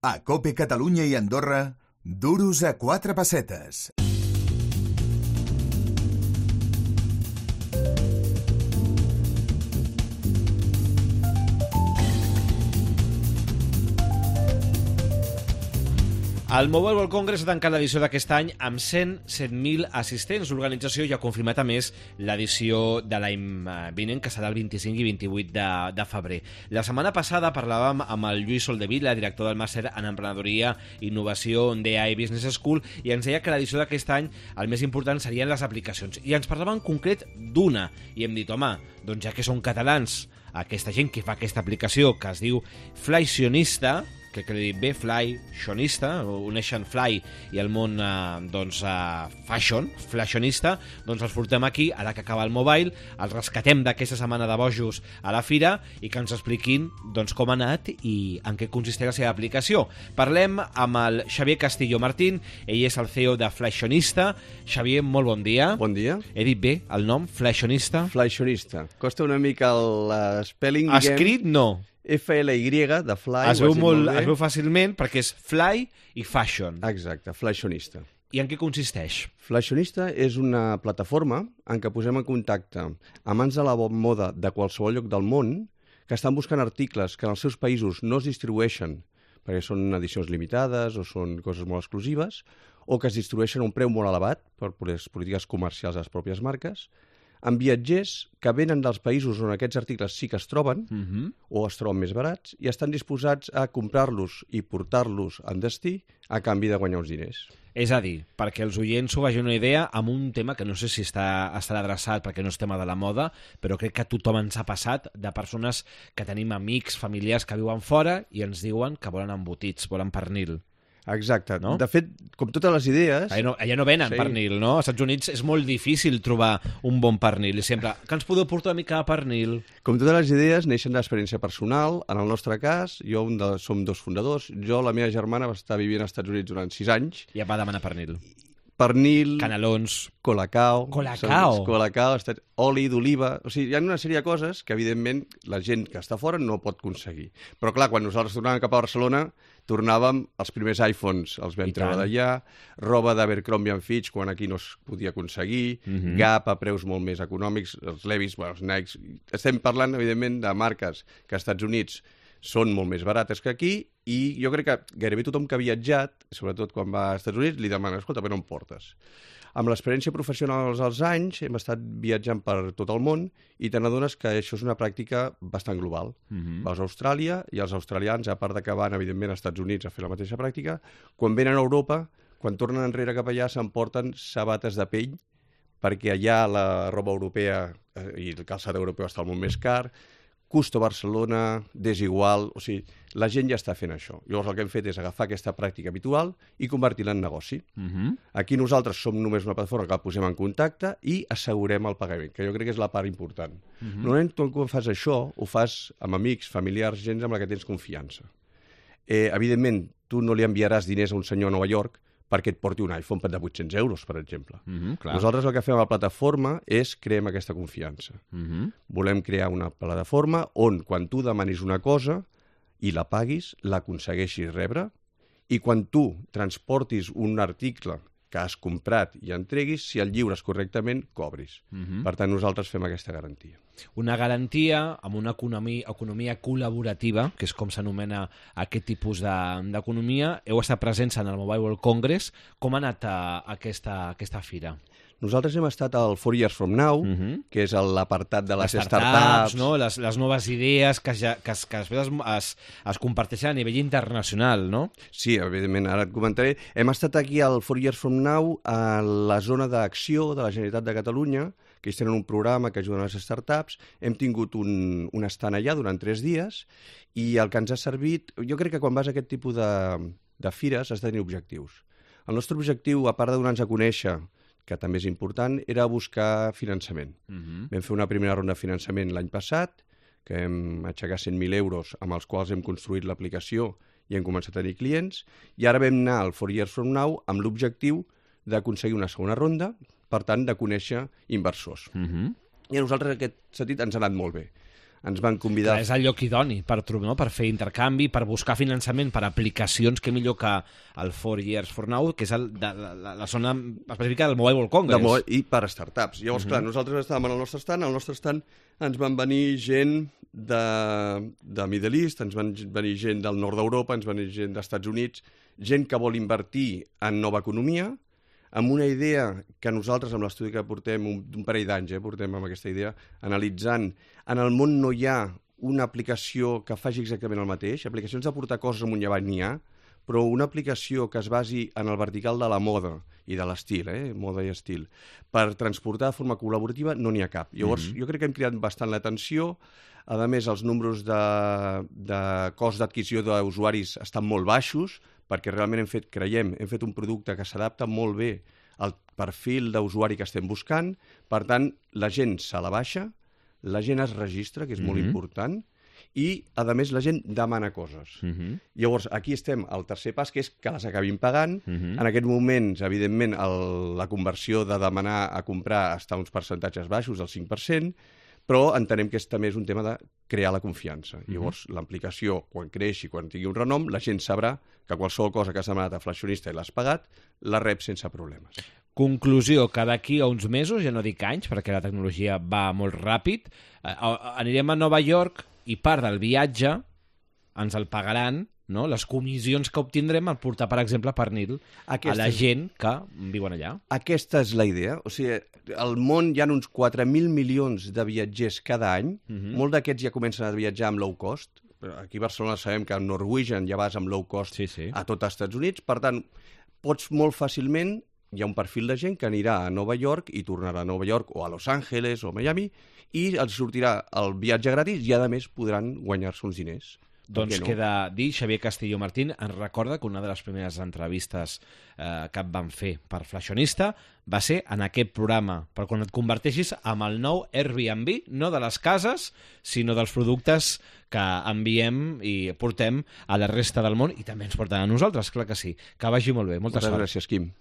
A COPE Catalunya i Andorra, duros a 4 pessetes. El Mobile World Congress ha tancat l'edició d'aquest any amb 107.000 assistents. L'organització ja ha confirmat, a més, l'edició de l'any vinent, que serà el 25 i 28 de febrer. La setmana passada parlàvem amb el Lluís Soldevila, director del màster en emprenedoria i innovació d'AI Business School, i ens deia que l'edició d'aquest any el més important serien les aplicacions. I ens parlava en concret d'una. I hem dit, home, doncs ja que són catalans, aquesta gent que fa aquesta aplicació, que es diu Flysionista, que he dit bé, Flysionista, uneixen Fly i el món fashion, Flysionista, doncs els portem aquí, ara que acaba el mobile, els rescatem d'aquesta setmana de bojos a la fira i que ens expliquin doncs, com ha anat i en què consisteix la seva aplicació. Parlem amb el Xavier Castillo Martín, ell és el CEO de Flysionista. Xavier, molt bon dia. Bon dia. He dit bé el nom, Flysionista? Flysionista. Costa una mica l'espelling, diguem. Escrit, no. FLY, de Fly. Es veu fàcilment perquè és Fly i Fashion. Exacte, Flysionista. I en què consisteix? Flysionista és una plataforma en què posem en contacte amants de la moda de qualsevol lloc del món que estan buscant articles que en els seus països no es distribueixen perquè són edicions limitades o són coses molt exclusives o que es distribueixen a un preu molt elevat per les polítiques comercials de les pròpies marques, amb viatgers que venen dels països on aquests articles sí que es troben o es troben més barats i estan disposats a comprar-los i portar-los en destí a canvi de guanyar uns diners. És a dir, perquè els oients s'ho vagin una idea amb un tema que no sé si estarà adreçat perquè no és tema de la moda, però crec que a tothom ens ha passat de persones que tenim amics, familiars que viuen fora i ens diuen que volen embotits, volen pernil. Exacte. No? De fet, com totes les idees... Allà no venen pernil, no? Als Estats Units és molt difícil trobar un bon pernil. I sempre, que ens podeu portar una mica de pernil? Com totes les idees, neixen d'experiència personal. En el nostre cas, som dos fundadors. La meva germana va estar vivint als Estats Units durant 6 anys. I va demanar pernil. Pernil, canelons, colacao, colacao, oli d'oliva... O sigui, hi ha una sèrie de coses que, evidentment, la gent que està fora no pot aconseguir. Però, clar, quan nosaltres tornàvem cap a Barcelona, tornàvem els primers iPhones, els vam treure d'allà, roba d'Abercrombie & Fitch, quan aquí no es podia aconseguir, Gap a preus molt més econòmics, els Levi's, els Nikes... Estem parlant, evidentment, de marques que als Estats Units són molt més barates que aquí i jo crec que gairebé tothom que ha viatjat, sobretot quan va als Estats Units, li demana, escolta, però no em portes. Amb l'experiència professional als anys hem estat viatjant per tot el món i te n'adones que això és una pràctica bastant global. Vas a Austràlia i els australians, a part de que van, evidentment, als Estats Units a fer la mateixa pràctica, quan venen a Europa, quan tornen enrere cap allà, s'emporten sabates de pell perquè allà la roba europea i el calçat europeu està molt més car, Custo Barcelona, Desigual... O sigui, la gent ja està fent això. Llavors el que hem fet és agafar aquesta pràctica habitual i convertir-la en negoci. Aquí nosaltres som només una plataforma que la posem en contacte i assegurem el pagament, que jo crec que és la part important. Normalment, quan fas això, ho fas amb amics, familiars, gent amb la que tens confiança. Evidentment, tu no li enviaràs diners a un senyor a Nova York perquè et porti un iPhone de 800 euros, per exemple. Nosaltres el que fem a la plataforma és creem aquesta confiança. Volem crear una plataforma on, quan tu demanis una cosa i la paguis, l'aconsegueixis rebre, i quan tu transportis un article que has comprat i entreguis, si el lliures correctament, cobris. Per tant, nosaltres fem aquesta garantia. Una garantia amb una economia col·laborativa, que és com s'anomena aquest tipus d'economia. Heu estat presents en el Mobile World Congress. Com ha anat aquesta fira? Nosaltres hem estat al 4 Years From Now, que és l'apartat de les startups, no? les noves idees que després es comparteixen a nivell internacional, no? Sí, evidentment, ara et comentaré. Hem estat aquí al 4 Years From Now a la zona d'acció de la Generalitat de Catalunya, que ells tenen un programa que ajuden a les startups. Hem tingut un estant allà durant 3 dies i el que ens ha servit... Jo crec que quan vas a aquest tipus de fires has de tenir objectius. El nostre objectiu, a part de donar-nos a conèixer, que també és important, era buscar finançament. Vam fer una primera ronda de finançament l'any passat, que hem aixecat 100.000 euros amb els quals hem construït l'aplicació i hem començat a tenir clients, i ara vam anar al 4 Years From Now amb l'objectiu d'aconseguir una segona ronda, per tant, de conèixer inversors. I a nosaltres, en aquest sentit, ens ha anat molt bé. ens van convidar... És el lloc idoni per fer intercanvi, per buscar finançament per aplicacions que millor que el 4 Years for Now, que és la zona específica del Mobile World Congress. I per startups. Llavors, clar, nosaltres estàvem al nostre stand, ens van venir gent de Middle East, ens van venir gent del nord d'Europa, ens van venir gent dels Estats Units, gent que vol invertir en nova economia, amb una idea que nosaltres, amb l'estudi que portem un parell d'anys, portem amb aquesta idea, analitzant, en el món no hi ha una aplicació que faci exactament el mateix. Aplicacions de portar coses amunt i avall n'hi ha, però una aplicació que es basi en el vertical de la moda i de l'estil, moda i estil, per transportar de forma col·laborativa no n'hi ha cap. Llavors, jo crec que hem cridat bastant l'atenció. A més, els números de cost d'adquisició d'usuaris estan molt baixos, perquè realment hem fet un producte que s'adapta molt bé al perfil d'usuari que estem buscant. Per tant, la gent se la baixa, la gent es registra, que és molt important, i, a més, la gent demana coses. Llavors, aquí estem al tercer pas, que és que les acabin pagant. En aquests moments, evidentment, la conversió de demanar a comprar està a uns percentatges baixos, del 5%, però entenem que també és un tema de crear la confiança. Llavors, l'aplicació, quan creixi, quan tingui un renom, la gent sabrà que qualsevol cosa que has demanat a Flashionista i l'has pagat, la rep sense problemes. Conclusió, que d'aquí a uns mesos, ja no dic anys, perquè la tecnologia va molt ràpid, anirem a Nova York i part del viatge ens el pagaran, no? Les comissions que obtindrem al portar, per exemple, pernil a la gent que viuen allà. Aquesta és la idea. O sigui, al món hi ha uns 4.000 milions de viatgers cada any. Molts d'aquests ja comencen a viatjar amb low cost. Aquí a Barcelona sabem que amb Norwegian ja vas amb low cost a tot els Estats Units. Per tant, pots molt fàcilment... Hi ha un perfil de gent que anirà a Nova York i tornarà a Nova York o a Los Angeles o a Miami i els sortirà el viatge gratis i, a més, podran guanyar-se uns diners. Doncs queda dir, Xavier Castillo Martín ens recorda que una de les primeres entrevistes que et van fer per Flashionista va ser en aquest programa, per quan et converteixis amb el nou Airbnb, no de les cases, sinó dels productes que enviem i portem a la resta del món i també ens porten a nosaltres, clar que sí. Que vagi molt bé. Molta sort. Gràcies, Quim.